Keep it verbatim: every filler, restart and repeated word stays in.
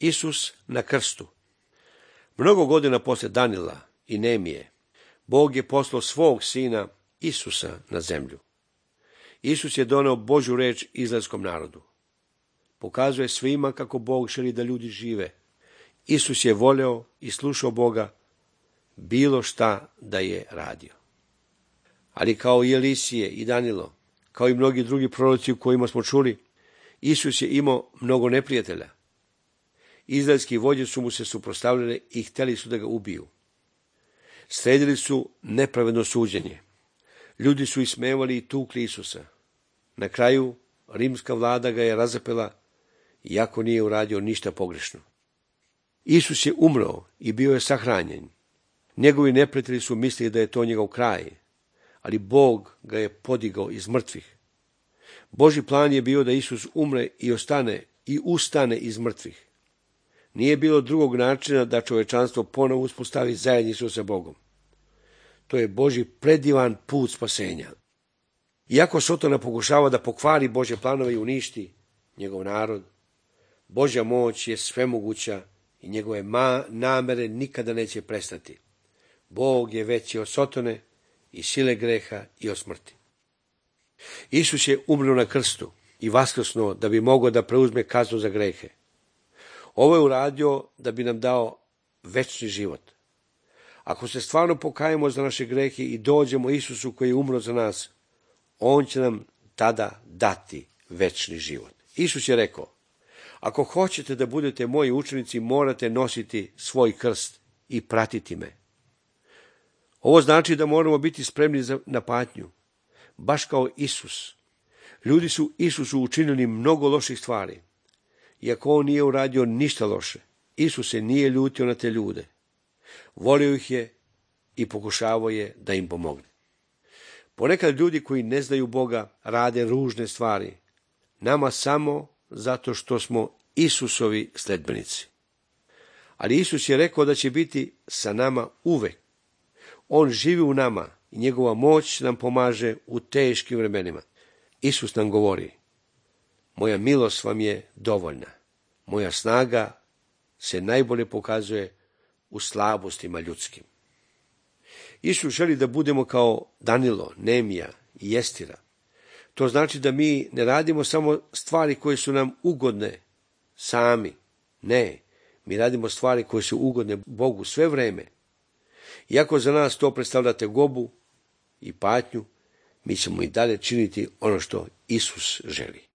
Isus na krstu. Mnogo godina posle Danila i Nemije, Bog je poslao svog sina Isusa na zemlju. Isus je doneo Božju reč izraelskom narodu. Pokazuje svima kako Bog želi da ljudi žive. Isus je voleo i slušao Boga bilo šta da je radio. Ali kao i Elisije i Danilo, kao i mnogi drugi proroci u kojima smo čuli, Isus je imao mnogo neprijatelja. Izraelski vođe su mu se suprotstavljali i htjeli su da ga ubiju. Sledili su nepravedno suđenje. Ljudi su ismevali i tukli Isusa. Na kraju rimska vlada ga je razapela, iako nije uradio ništa pogrešno. Isus je umro i bio je sahranjen. Njegovi neprijatelji su mislili da je to njegov kraj, ali Bog ga je podigao iz mrtvih. Božji plan je bio da Isus umre i ostane i ustane iz mrtvih. Nije bilo drugog načina da čovečanstvo ponovo uspostavi zajednicu sa Bogom. To je Božji predivan put spasenja. Iako Sotona pokušava da pokvari Božje planove i uništi njegov narod, Božja moć je svemoguća i njegove ma namere nikada neće prestati. Bog je veći od Sotone i sile greha i od smrti. Isus je umro na krstu i vaskrsnuo da bi mogao da preuzme kaznu za grehe. Ovo je uradio da bi nam dao večni život. Ako se stvarno pokajemo za naše grehe i dođemo Isusu koji je umro za nas, on će nam tada dati večni život. Isus je rekao, ako hoćete da budete moji učenici, morate nositi svoj krst i pratiti me. Ovo znači da moramo biti spremni na patnju, baš kao Isus. Ljudi su Isusu učinili mnogo loših stvari. Iako on nije uradio ništa loše, Isus se nije ljutio na te ljude. Volio ih je i pokušavao je da im pomogne. Ponekad ljudi koji ne znaju Boga rade ružne stvari, nama samo zato što smo Isusovi sledbenici. Ali Isus je rekao da će biti sa nama uvek. On živi u nama i njegova moć nam pomaže u teškim vremenima. Isus nam govori, moja milost vam je dovoljna. Moja snaga se najbolje pokazuje u slabostima ljudskim. Isus želi da budemo kao Danilo, Nemija i Estira. To znači da mi ne radimo samo stvari koje su nam ugodne sami. Ne, mi radimo stvari koje su ugodne Bogu sve vreme. Iako za nas to predstavlja tegobu i patnju, mi ćemo i dalje činiti ono što Isus želi.